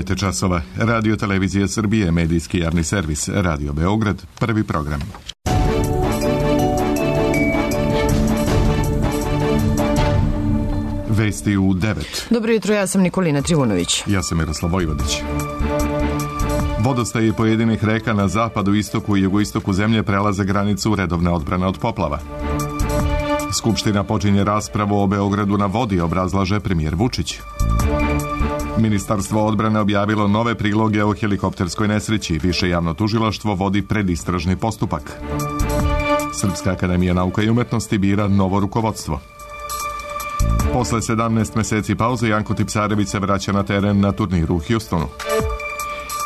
9 časova. Radio Televizija Srbije, medijski javni servis, Radio Beograd, prvi program. Vesti u 9. Dobro jutro, ja sam Nikolina Trivunović. Ja sam Miroslav Vojvodić. Vodostaji pojedinih reka na zapadu, istoku i jugoistoku zemlje prelaze granicu redovne odbrane od poplava. Skupština počinje raspravu o Beogradu na vodi, obrazlaže premijer Vučić. Ministarstvo odbrane objavilo nove priloge o helikopterskoj nesreći. Više javno tužilaštvo vodi predistražni postupak. Srpska akademija nauka i umetnosti bira novo rukovodstvo. Posle 17 meseci pauze Janko Tipsarević se vraća na teren na turniru u Houstonu.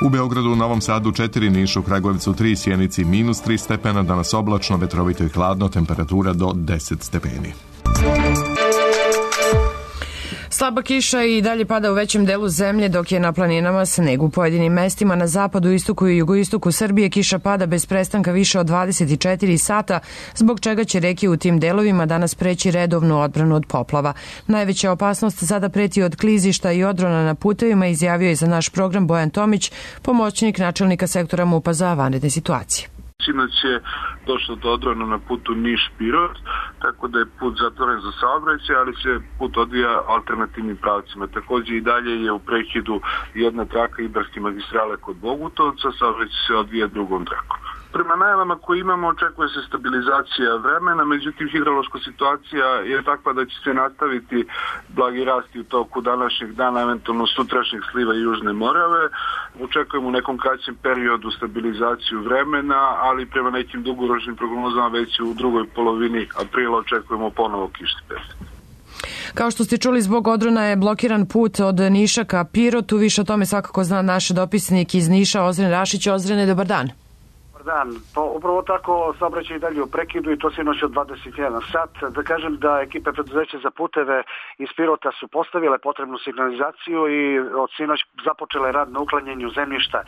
U Beogradu, Novom Sadu 4, Nišu, Kragujevcu 3, Sjenici -3 stepena, danas oblačno, vetrovito i hladno, temperatura do 10 stepeni. Slaba kiša i dalje pada u većem delu zemlje, dok je na planinama sneg. U pojedinim mestima na zapadu, istoku i jugoistoku Srbije kiša pada bez prestanka više od 24 sata, zbog čega će reke u tim delovima danas preći redovnu odbranu od poplava. Najveća opasnost sada preti od klizišta i odrona na putevima, izjavio je za naš program Bojan Tomić, pomoćnik načelnika sektora MUP-a za vanredne situacije. Sinoć je došlo do odrona na putu Niš-Pirot, tako da je put zatvoren za saobraćaj, ali se put odvija alternativnim pravcima. Također i dalje je u prekidu jedna traka Ibarske magistrale kod Bogutovca, saobraćaj se odvija drugom trakom. Prema najavama koje imamo očekuje se stabilizacija vremena, međutim hidrološka situacija je takva da će se nastaviti blagi rasti u toku današnjeg dana, eventualno sutrašnjeg sliva Južne Morave. Očekujemo u nekom kraćem periodu stabilizaciju vremena, ali prema nekim dugoročnim prognozama već u drugoj polovini aprila očekujemo ponovo kišni period. Kao što ste čuli, zbog odrona je blokiran put od Niša ka Pirotu. Više o tome svakako zna naš dopisnik iz Niša, Ozren Rašić. Ozrene, dobar dan. Dan. Pa upravo tako saobraćaj i dalje u prekidu i to sinoć od 21 sat. Da kažem da ekipe preduzeća za puteve iz Pirota su postavile potrebnu signalizaciju i od sinoć započele rad na uklanjanju zemljišta.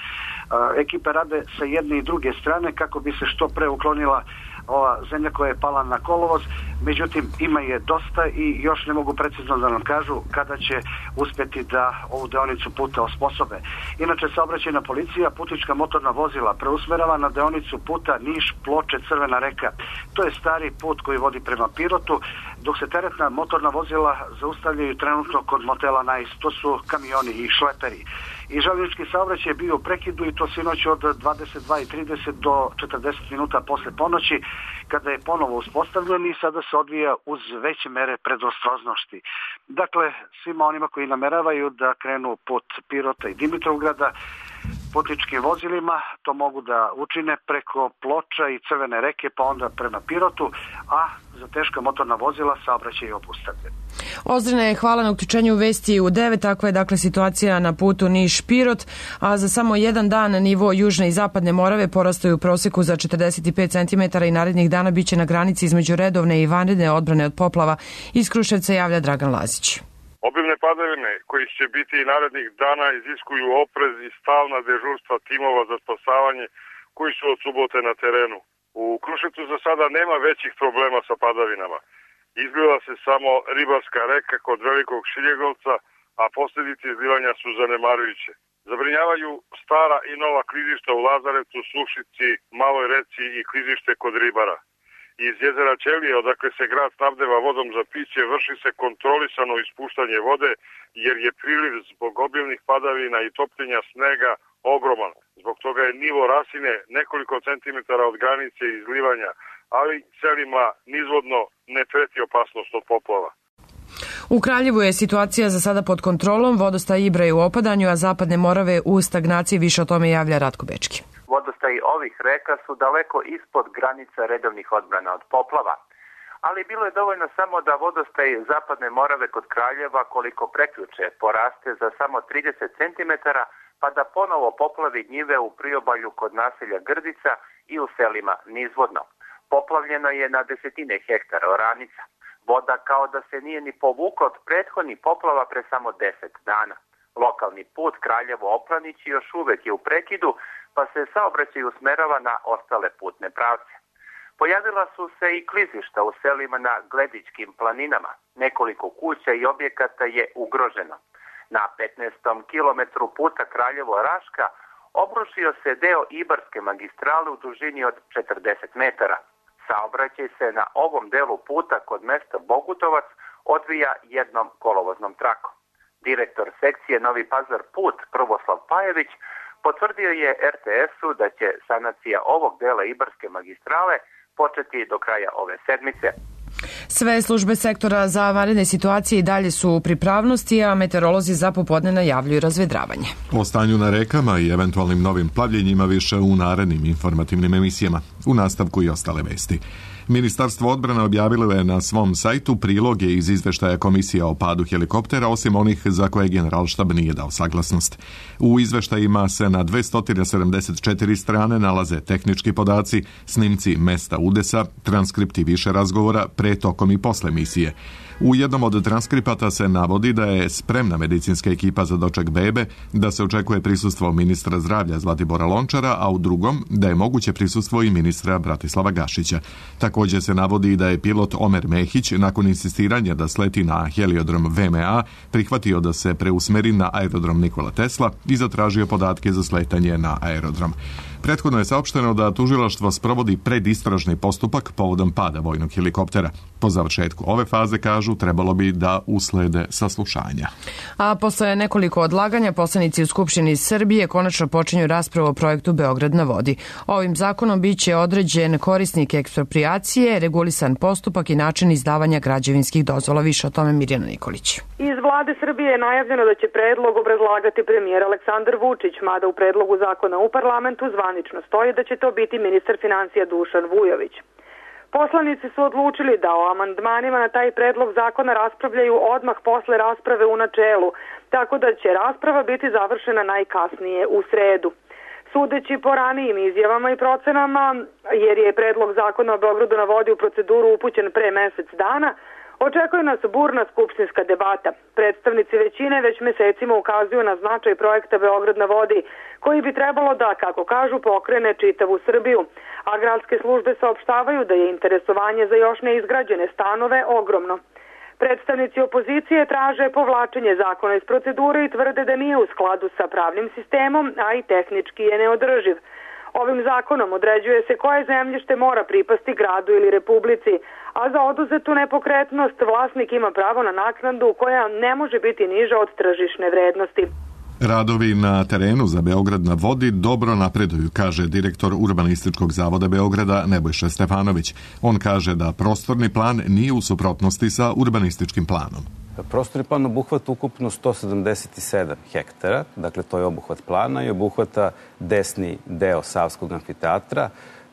Ekipe rade sa jedne i druge strane kako bi se što pre uklonila ova zemlja koja je pala na kolovoz, međutim ima je dosta i još ne mogu precizno da nam kažu kada će uspjeti da ovu deonicu puta osposobe. Inače, saobraćajna policija putnička motorna vozila preusmerava na deonicu puta Niš-Ploče-Crvena reka. To je stari put koji vodi prema Pirotu, dok se teretna motorna vozila zaustavljaju trenutno kod motela Nais. To su kamioni i šleperi. I željeznički saobraćaj je bio u prekidu i to sinoć od 22:30 do 40 minuta posle ponoći, kada je ponovo uspostavljen i sada se odvija uz veće mere predostrožnosti. Dakle, svima onima koji nameravaju da krenu put Pirota i Dimitrovgrada putničkim vozilima, to mogu da učine preko Ploča i Crvene reke, pa onda prema Pirotu, a za teška motorna vozila saobraćaj je obustavljen. Ozrene, hvala na uključenju vesti u 9. Takva je dakle situacija na putu Niš-Pirot, a za samo jedan dan nivo južne i zapadne Morave porastaju u proseku za 45 cm i narednih dana biće na granici između redovne i vanredne odbrane od poplava. Iz Kruševca javlja Dragan Lazić. Obimne padavine koji će biti i narednih dana iziskuju oprez i stalna dežurstva timova za spasavanje koji su od subote na terenu. U Kruševcu za sada nema većih problema sa padavinama. Izgleda se samo Ribarska reka kod Velikog Šiljegovca, a posljedice izlivanja su zanemarujuće. Zabrinjavaju stara i nova klizišta u Lazarevcu, Sušici, Maloj reci i klizište kod Ribara. Iz jezera Ćelije, odakle se grad snabdeva vodom za piće, vrši se kontrolisano ispuštanje vode, jer je priliv zbog obilnih padavina i topljenja snega ogroman. Zbog toga je nivo rasine nekoliko centimetara od granice izlivanja, ali selima nizvodno ne preti opasnost od poplava. U Kraljevu je situacija za sada pod kontrolom, vodostaj Ibra je u opadanju, a zapadne Morave u stagnaciji. Više o tome javlja Ratko Bečki. Vodostaji ovih reka su daleko ispod granica redovnih odbrana od poplava, ali bilo je dovoljno samo da vodostaj zapadne Morave kod Kraljeva koliko prekjuče poraste za samo 30 cm, pa da ponovo poplavi njive u priobalju kod naselja Grdica i u selima nizvodno. Poplavljeno je na desetine hektara oranica. Voda kao da se nije ni povukla od prethodnih poplava pre samo 10 dana. Lokalni put Kraljevo-Oplanić još uvek je u prekidu, pa se saobraćaj usmerava na ostale putne pravce. Pojavila su se i klizišta u selima na Gledičkim planinama. Nekoliko kuća i objekata je ugroženo. Na 15. kilometru puta Kraljevo-Raška obrušio se deo Ibarske magistrale u dužini od 40 metara. Saobraćaj se na ovom delu puta kod mesta Bogutovac odvija jednom kolovoznom trakom. Direktor sekcije Novi Pazar Put Prvoslav Pajević potvrdio je RTS-u da će sanacija ovog dela Ibarske magistrale početi do kraja ove sedmice. Sve službe sektora za vanredne situacije i dalje su u pripravnosti, a meteorolozi za popodne najavljuju razvedravanje. O stanju na rekama i eventualnim novim plavljenjima više u narednim informativnim emisijama. U nastavku i ostale vesti. Ministarstvo odbrane objavilo je na svom sajtu priloge iz izveštaja komisija o padu helikoptera, osim onih za koje Generalštab nije dao saglasnost. U izveštajima se na 274 strane nalaze tehnički podaci, snimci mesta udesa, transkripti više razgovora pre, tokom i posle misije. U jednom od transkripata se navodi da je spremna medicinska ekipa za doček bebe, da se očekuje prisustvo ministra zdravlja Zlatibora Lončara, a u drugom da je moguće prisustvo i ministra Bratislava Gašića. Također se navodi da je pilot Omer Mehić nakon insistiranja da sleti na heliodrom VMA prihvatio da se preusmeri na aerodrom Nikola Tesla i zatražio podatke za sletanje na aerodrom. Prethodno je saopšteno da tužilaštvo sprovodi predistražni postupak povodom pada vojnog helikoptera. Po završetku ove faze, kažu, trebalo bi da uslede saslušanja. A posle nekoliko odlaganja, poslanici u Skupštini Srbije konačno počinju raspravu o projektu Beograd na vodi. Ovim zakonom biće određen korisnik eksproprijacije, regulisan postupak i način izdavanja građevinskih dozvola. Više o tome Mirjana Nikolić. Iz vlade Srbije je najavljeno da će predlog obrazlagati premijer Aleksandar Vučić, mada u predlogu zakona u parlamentu zvanično stoji da će to biti ministar financija Dušan Vujović. Poslanici su odlučili da o amandmanima na taj predlog zakona raspravljaju odmah posle rasprave u načelu, tako da će rasprava biti završena najkasnije u sredu. Sudeći po ranijim izjavama i procenama, jer je predlog zakona o Beogradu na vodi u proceduru upućen pre mesec dana, očekuje nas burna skupštinska debata. Predstavnici većine već mesecima ukazuju na značaj projekta Beograd na vodi, koji bi trebalo da, kako kažu, pokrene čitavu Srbiju. A gradske službe saopštavaju da je interesovanje za još neizgrađene stanove ogromno. Predstavnici opozicije traže povlačenje zakona iz procedure i tvrde da nije u skladu sa pravnim sistemom, a i tehnički je neodrživ. Ovim zakonom određuje se koje zemljište mora pripasti gradu ili republici, a za oduzetu nepokretnost vlasnik ima pravo na naknadu koja ne može biti niža od tržišne vrednosti. Radovi na terenu za Beograd na vodi dobro napreduju, kaže direktor Urbanističkog zavoda Beograda Nebojša Stefanović. On kaže da prostorni plan nije u suprotnosti sa urbanističkim planom. Prostorni plan obuhvata ukupno 177 hektara, dakle to je obuhvat plana i obuhvata desni deo Savskog amfiteatra,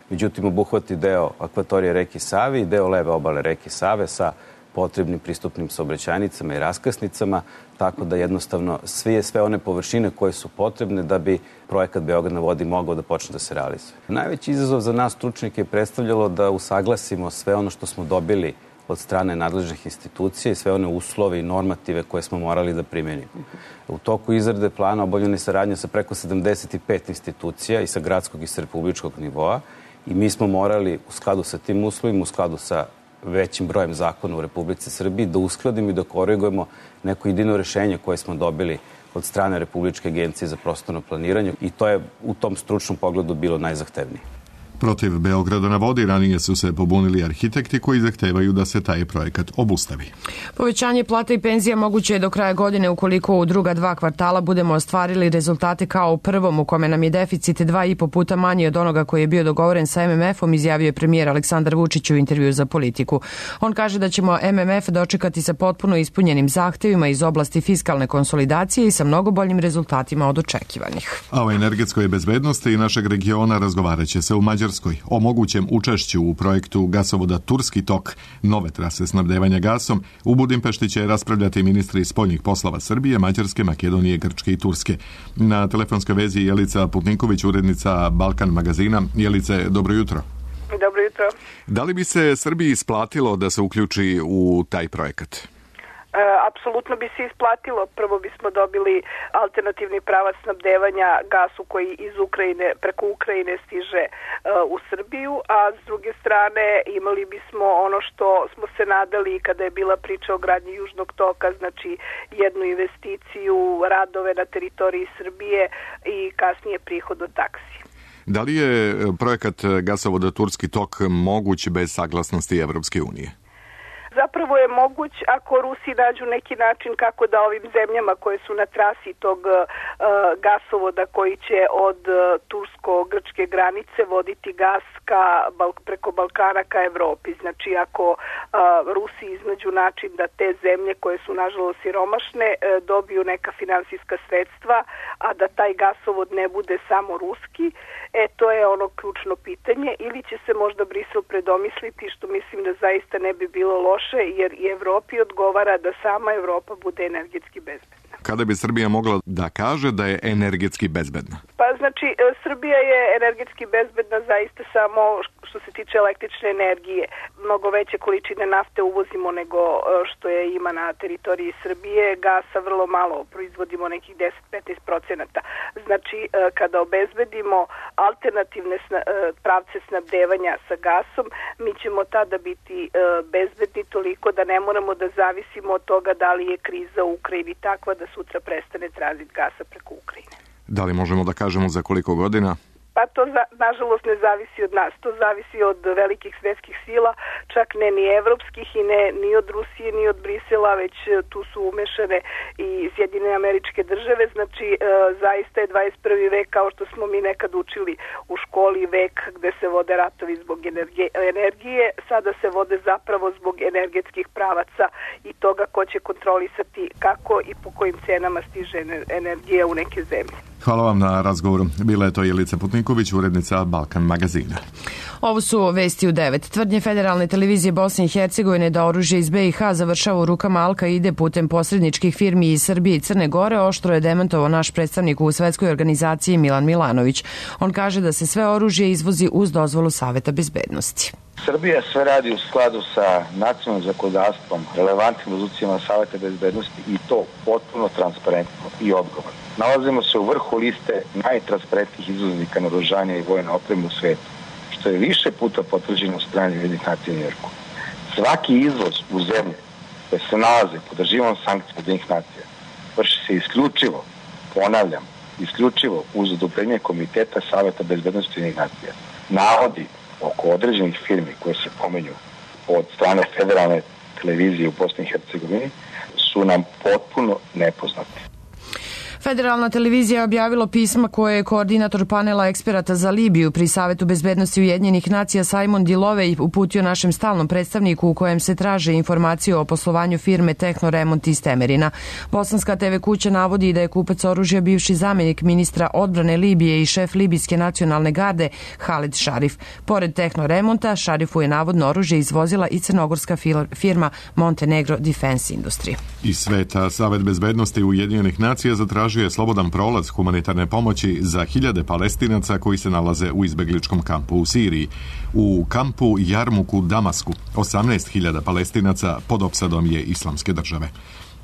međutim obuhvati deo akvatorije reke Save i deo leve obale reke Save sa potrebnim pristupnim saobraćajnicama i raskrsnicama, tako da jednostavno sve one površine koje su potrebne da bi projekat Beograd na vodi mogao da počne da se realizuje. Najveći izazov za nas stručnjake je predstavljalo da usaglasimo sve ono što smo dobili od strane nadležnih institucija i sve one uslove i normative koje smo morali da primenimo. U toku izrade plana obavljena je saradnja sa preko 75 institucija i sa gradskog i sa republičkog nivoa i mi smo morali u skladu sa tim uslovima, u skladu sa većim brojem zakona u Republici Srbiji, da uskladimo i da korigujemo neko jedino rešenje koje smo dobili od strane Republičke agencije za prostorno planiranje i to je u tom stručnom pogledu bilo najzahtevnije. Protiv Beograda na vodi ranije su se pobunili arhitekti koji zahtevaju da se taj projekat obustavi. Povećanje plata i penzija moguće je do kraja godine ukoliko u druga 2 kvartala budemo ostvarili rezultate kao u prvom, u kome nam je deficit 2,5 puta manji od onoga koji je bio dogovoren sa MMF-om, izjavio je premijer Aleksandar Vučić u intervju za Politiku. On kaže da ćemo MMF dočekati sa potpuno ispunjenim zahtevima iz oblasti fiskalne konsolidacije i sa mnogo boljim rezultatima od očekivanih. A o energetskoj bezbednosti i našeg regiona razgovarat će se u Mađarskoj o mogućem učešću u projektu gasovoda Turski tok, nove trase snabdevanja gasom. U Budimpešti će raspravljati ministri spoljnih poslova Srbije, Mađarske, Makedonije, Grčke i Turske. Na telefonskoj vezi Jelica Putniković, urednica Balkan magazina. Jelice, dobro jutro. Dobro jutro. Da li bi se Srbiji isplatilo da se uključi u taj projekat? Apsolutno bi se isplatilo. Prvo bismo dobili alternativni pravac snabdevanja gasu koji iz Ukrajine, preko Ukrajine stiže u Srbiju, a s druge strane imali bismo ono što smo se nadali kada je bila priča o gradnji Južnog toka, znači jednu investiciju, radove na teritoriji Srbije i kasnije prihod od taksi. Da li je projekat gasovoda Turski tok moguć bez saglasnosti Evropske unije? Zapravo je moguć ako Rusi nađu neki način kako da ovim zemljama koje su na trasi tog gasovoda koji će od tursko-grčke granice voditi gas preko Balkana ka Evropi. Znači ako Rusi iznađu način da te zemlje koje su nažalost siromašne dobiju neka finansijska sredstva, a da taj gasovod ne bude samo ruski, to je ono ključno pitanje. Ili će se možda Brisel predomisliti, što mislim da zaista ne bi bilo loše, jer i Evropi odgovara da sama Evropa bude energetski bezbedna. Kada bi Srbija mogla da kaže da je energetski bezbedna? Pa znači, Srbija je energetski bezbedna zaista samo što se tiče električne energije. Mnogo veće količine nafte uvozimo nego što je ima na teritoriji Srbije. Gasa vrlo malo, proizvodimo nekih 10-15%. Znači, kada obezbedimo alternativne pravce snabdevanja sa gasom, mi ćemo tada biti bezbedni toliko da ne moramo da zavisimo od toga da li je kriza u Ukrajini takva da sutra prestane tranzit gasa preko Ukrajine. Da li možemo da kažemo za koliko godina? Pa to nažalost ne zavisi od nas, to zavisi od velikih svetskih sila, čak ne ni evropskih i ne ni od Rusije ni od Brisela, već tu su umešane i Sjedinjene Američke Države. Znači zaista je 21. vek, kao što smo mi nekad učili u školi, vek gde se vode ratovi zbog energije, sada se vode zapravo zbog energetskih pravaca i toga ko će kontrolisati kako i po kojim cenama stiže energija u neke zemlje. Hvala vam na razgovoru. Bila je to Jelica Putniković, urednica Balkan magazina. Ovo su vesti u 9. Tvrdnje Federalne televizije Bosne i Hercegovine da oružje iz BiH završava u rukama Al-Kaide putem posredničkih firmi iz Srbije i Crne Gore oštro je demantovao naš predstavnik u svetskoj organizaciji Milan Milanović. On kaže da se sve oružje izvozi uz dozvolu Saveta bezbednosti. Srbija sve radi u skladu sa nacionalnim zakonodavstvom, relevantnim rezolucijama Saveta bezbednosti i to potpuno transparentno i odgovorno. Nalazimo se u vrhu liste najtransparentnijih izvoznika naoružanja i vojne opreme u svetu, što je više puta potvrđeno od strane Ujedinjenih nacija u Njujorku. Svaki izvoz u zemlje koje se nalaze pod režimom sankcija Ujedinjenih nacija vrši se isključivo, ponavljam, isključivo uz odobrenje Komiteta Saveta bezbednosti Ujedinjenih nacija. Navodi oko određenih firmi koje se pomenju od strane Federalne televizije u Bosni i Hercegovini su nam potpuno nepoznati. Federalna televizija je objavila pisma koje je koordinator panela eksperata za Libiju pri Savetu bezbednosti Ujedinjenih nacija Simon Dilovej uputio našem stalnom predstavniku u kojem se traže informacije o poslovanju firme Tehnoremont iz Temerina. Bosanska TV kuća navodi da je kupac oružja bivši zamjenik ministra odbrane Libije i šef libijske nacionalne garde Halid Šarif. Pored Tehnoremonta, Šarifu je navodno oružje izvozila i crnogorska firma Montenegro Defense Industry. Iz sveta Savet bezbednosti Ujedinjenih nacija zatražio je slobodan prolaz humanitarne pomoći za hiljade Palestinaca koji se nalaze u izbegličkom kampu u Siriji. U kampu Jarmuk u Damasku 18.000 Palestinaca pod opsadom je Islamske države.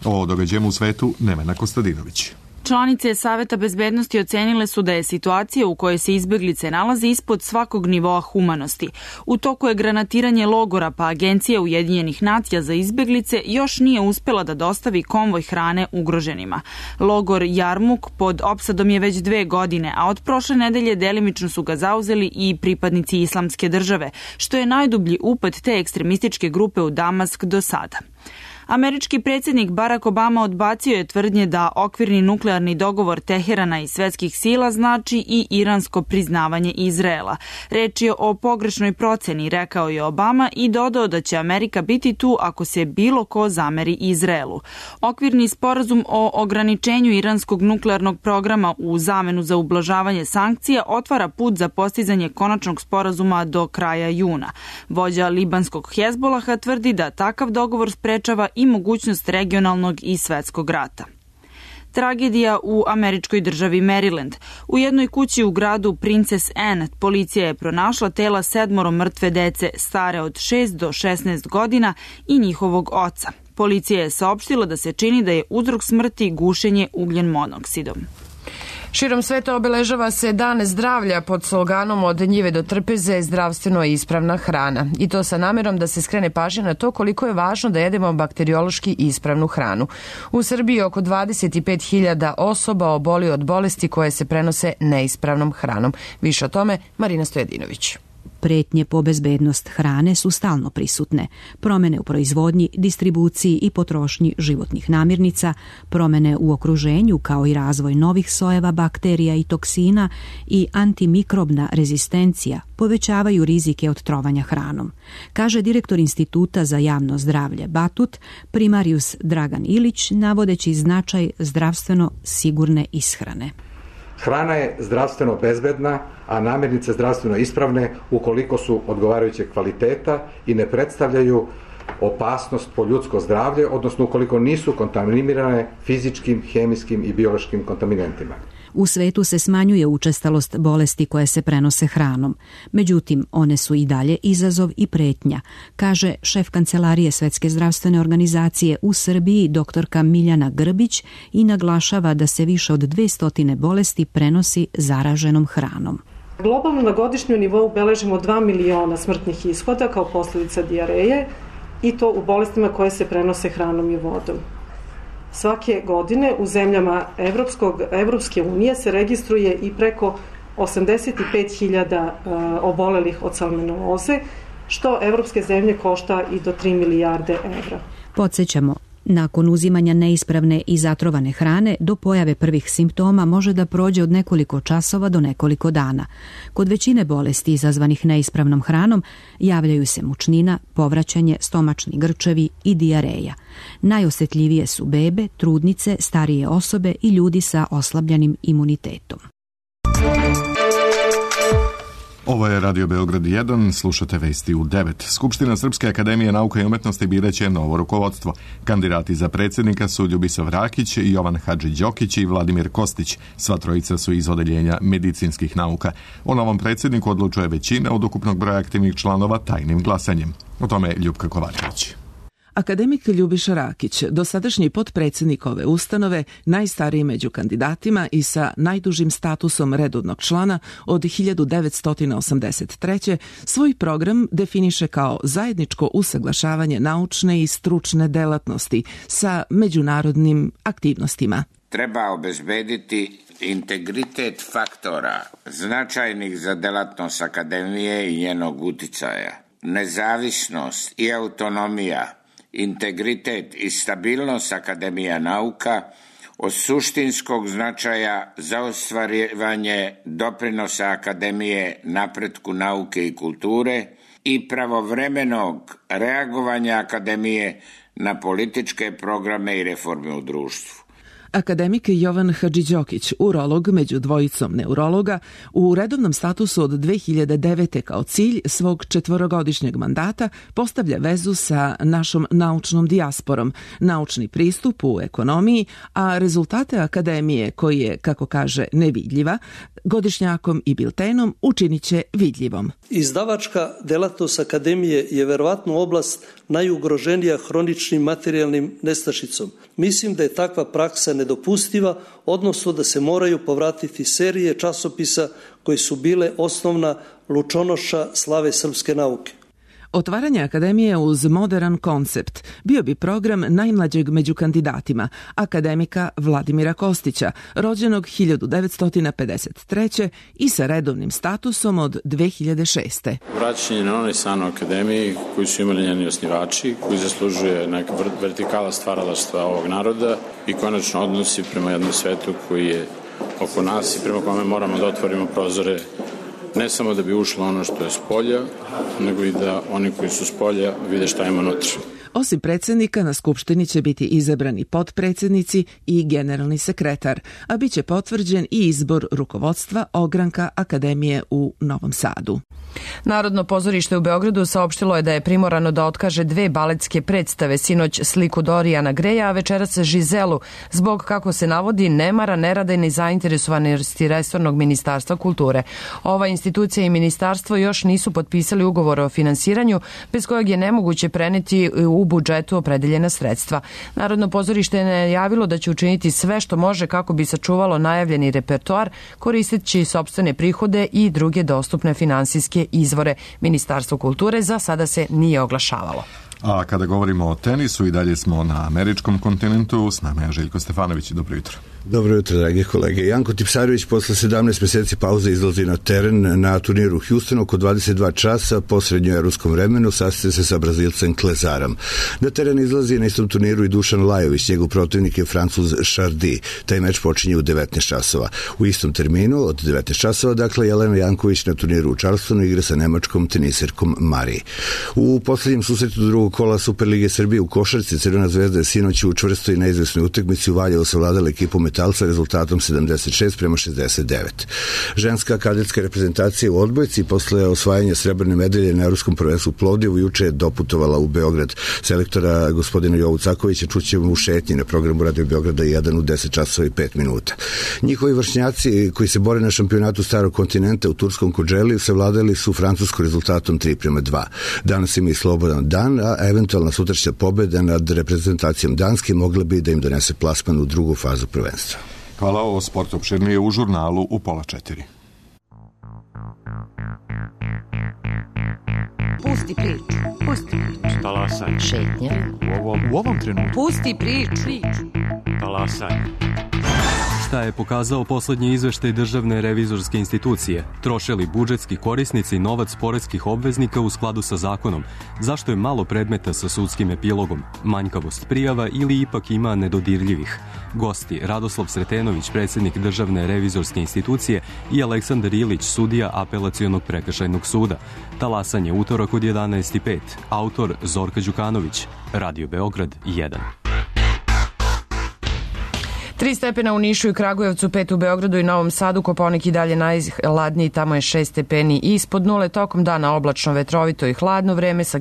O događajima u svetu Nemena Kostadinović. Članice Saveta bezbednosti ocenile su da je situacija u kojoj se izbeglice nalaze ispod svakog nivoa humanosti. U toku je granatiranje logora, pa Agencija Ujedinjenih nacija za izbeglice još nije uspela da dostavi konvoj hrane ugroženima. Logor Jarmuk pod opsadom je već 2 godine, a od prošle nedelje delimično su ga zauzeli i pripadnici Islamske države, što je najdublji upad te ekstremističke grupe u Damask do sada. Američki predsjednik Barack Obama odbacio je tvrdnje da okvirni nuklearni dogovor Teherana i svetskih sila znači i iransko priznavanje Izraela. Reč je o pogrešnoj proceni, rekao je Obama i dodao da će Amerika biti tu ako se bilo ko zameri Izraelu. Okvirni sporazum o ograničenju iranskog nuklearnog programa u zamenu za ublažavanje sankcija otvara put za postizanje konačnog sporazuma do kraja juna. Vođa libanskog Hezbolaha tvrdi da takav dogovor sprečava i mogućnost regionalnog i svetskog rata. Tragedija u američkoj državi Maryland. U jednoj kući u gradu Princess Anne policija je pronašla tela 7 mrtve dece stare od 6 do 16 godina i njihovog oca. Policija je saopštila da se čini da je uzrok smrti gušenje ugljen monoksidom. Širom sveta obeležava se Dan zdravlja pod sloganom Od njive do trpeze zdravstveno ispravna hrana. I to sa namerom da se skrene pažnja na to koliko je važno da jedemo bakteriološki ispravnu hranu. U Srbiji oko 25.000 osoba oboli od bolesti koje se prenose neispravnom hranom. Više o tome Marina Stojadinović. Pretnje po bezbednost hrane su stalno prisutne. Promene u proizvodnji, distribuciji i potrošnji životnih namirnica, promene u okruženju kao i razvoj novih sojeva bakterija i toksina i antimikrobna rezistencija povećavaju rizike od trovanja hranom, kaže direktor Instituta za javno zdravlje Batut, primarius Dragan Ilić, navodeći značaj zdravstveno sigurne ishrane. Hrana je zdravstveno bezbedna, a namirnice zdravstveno ispravne ukoliko su odgovarajućeg kvaliteta i ne predstavljaju opasnost po ljudsko zdravlje, odnosno ukoliko nisu kontaminirane fizičkim, hemijskim i biološkim kontaminentima. U svetu se smanjuje učestalost bolesti koje se prenose hranom. Međutim, one su i dalje izazov i pretnja, kaže šef Kancelarije Svetske zdravstvene organizacije u Srbiji doktorka Miljana Grbić i naglašava da se više od 200 bolesti prenosi zaraženom hranom. Globalno na godišnjem nivou beležimo 2 miliona smrtnih ishoda kao posljedica dijareje i to u bolestima koje se prenose hranom i vodom. Svake godine u zemljama Evropske unije se registruje i preko 85.000 obolelih od salmoneloze, što evropske zemlje košta i do 3 milijarde evra. Podsjećamo, nakon uzimanja neispravne i zatrovane hrane do pojave prvih simptoma može da prođe od nekoliko časova do nekoliko dana. Kod većine bolesti izazvanih neispravnom hranom javljaju se mučnina, povraćanje, stomačni grčevi i dijareja. Najosjetljivije su bebe, trudnice, starije osobe i ljudi sa oslabljenim imunitetom. Ovo je Radio Beograd 1, slušate vesti u 9. Skupština Srpske akademije nauka i umetnosti biraće novo rukovodstvo. Kandidati za predsjednika su Ljubisav Rakić, Jovan Hadži-Đokić i Vladimir Kostić. Sva trojica su iz odeljenja medicinskih nauka. O novom predsjedniku odlučuje većina od ukupnog broja aktivnih članova tajnim glasanjem. O tome Ljupka Kovačević. Akademik Ljubiša Rakić, dosadašnji potpredsjednik ove ustanove, najstariji među kandidatima i sa najdužim statusom redovnog člana od 1983. svoj program definiše kao zajedničko usaglašavanje naučne i stručne delatnosti sa međunarodnim aktivnostima. Treba obezbediti integritet faktora značajnih za delatnost akademije i njenog uticaja, nezavisnost i autonomija, integritet i stabilnost Akademija nauka od suštinskog značaja za ostvarivanje doprinosa Akademije napretku nauke i kulture i pravovremenog reagovanja Akademije na političke programe i reforme u društvu. Akademik Jovan Hadži-Đokić, urolog među dvojicom neurologa, u redovnom statusu od 2009. kao cilj svog 4-godišnjeg mandata postavlja vezu sa našom naučnom dijasporom, naučni pristup u ekonomiji, a rezultate akademije, koji je, kako kaže, nevidljiva, godišnjakom i biltenom učinit će vidljivom. Izdavačka delatnost akademije je verovatno oblast najugroženija hroničnim materijalnim nestašicom. Mislim da je takva praksa nedopustiva, odnosno da se moraju povratiti serije časopisa koji su bile osnovna lučonoša slave srpske nauke. Otvaranje akademije uz moderan koncept bio bi program najmlađeg među kandidatima, akademika Vladimira Kostića, rođenog 1953. i sa redovnim statusom od 2006. Vraćanje na onaj san o akademiji koji su imali njeni osnivači, koji zaslužuje neka vertikala stvaralaštva ovog naroda i konačno odnosi prema jednom svetu koji je oko nas i prema kome moramo da otvorimo prozore, ne samo da bi ušlo ono što je s polja, nego i da oni koji su s polja vide šta ima unutra. Osim predsjednika, na Skupštini će biti izabrani potpredsjednici i generalni sekretar, a bit će potvrđen i izbor rukovodstva ogranka Akademije u Novom Sadu. Narodno pozorište u Beogradu saopštilo je da je primorano da otkaže 2 baletske predstave, sinoć Sliku Dorijana Greja, a večeras Žizelu, zbog, kako se navodi, nemara, nerada i nezainteresovanosti resornog ministarstva kulture. Ova institucija i ministarstvo još nisu potpisali ugovor o finansiranju, bez kojeg je nemoguće preneti u u budžetu opredeljena sredstva. Narodno pozorište je najavilo da će učiniti sve što može kako bi sačuvalo najavljeni repertoar, koristeći sopstvene prihode i druge dostupne finansijske izvore. Ministarstvo kulture za sada se nije oglašavalo. A kada govorimo o tenisu, i dalje smo na američkom kontinentu. S nama je Željko Stefanović. Dobro jutro. Dobro jutro, dragi kolege. Janko Tipsarević posle 17 meseci pauze izlazi na teren na turniru u Houstonu oko 22 časa po srednjoevropskom vremenu, sastaje se sa Brazilcem Klezarom. Na teren izlazi na istom turniru i Dušan Lajović, njegov protivnik je Francuz Chardy. Taj meč počinje u 19 časova. U istom terminu od 19 časova, dakle, Jelena Janković na turniru u Charlestonu igra sa nemačkom teniserkom Mari. U poslednjem susretu drugog kola Superlige Srbije u košarci Crvena zvezda je sinoć u čvrstoj i neizvesnoj utakmici u Valjevu savladala ekipu Metalca rezultatom 76-69. Ženska kadetska reprezentacija u odbojci posle osvajanja srebrne medalje na Evropskom prvenstvu u Plovdivu juče je doputovala u Beograd. Selektora gospodina Jovu Cakovića čućemo u šetnji na programu Radio Beograda 1 u 10 časova i 5 minuta. Njihovi vršnjaci koji se bore na šampionatu starog kontinenta u turskom Kođeli savladali su Francusku rezultatom 3:2. Danas ima i slobodan dan, a eventualna sutrašnja pobeda nad reprezentacijom Danske mogla bi da im donese plasman u drugu fazu prvenstva. Hvala, o sportu opširnije u žurnalu u 3:30. Pusti priču. Pusti priču. Talasaj. Šetnja. U ovom trenutku. Pusti priču. Talasaj. Šta je pokazao poslednji izveštaj Državne revizorske institucije? Troše li budžetski korisnici novac poreskih obveznika u skladu sa zakonom? Zašto je malo predmeta sa sudskim epilogom? Manjkavost prijava ili ipak ima nedodirljivih? Gosti Radoslav Sretenović, predsjednik Državne revizorske institucije, i Aleksandar Ilić, sudija Apelacionog prekršajnog suda. Talasanje utorak od 11:05. Autor Zorka Đukanović. Radio Beograd 1. 3 stepena u Nišu i Kragujevcu, 5 u Beogradu i Novom Sadu, Kopaonik i dalje najhladniji, tamo je 6 stepeni ispod nule. Tokom dana oblačno, vetrovito i hladno vreme sa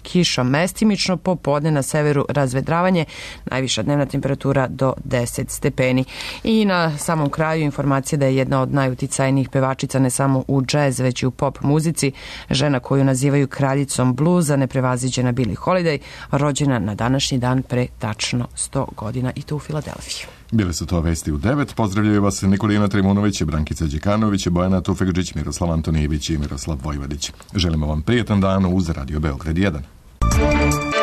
kišom mestimično, popodne na severu razvedravanje, najviša dnevna temperatura do 10 stepeni. I na samom kraju informacija da je jedna od najuticajnijih pevačica ne samo u džez, već i u pop muzici, žena koju nazivaju kraljicom bluza, neprevaziđena Billie Holiday, rođena na današnji dan pre tačno 100 godina i to u Filadelfiji. Bile su to vesti u 9. Pozdravljaju vas Nikolina Trimunović, Brankica Đekanović, Bojana Tufekđić, Miroslav Antonijević i Miroslav Vojvodić. Želimo vam prijetan dan uz Radio Beograd 1.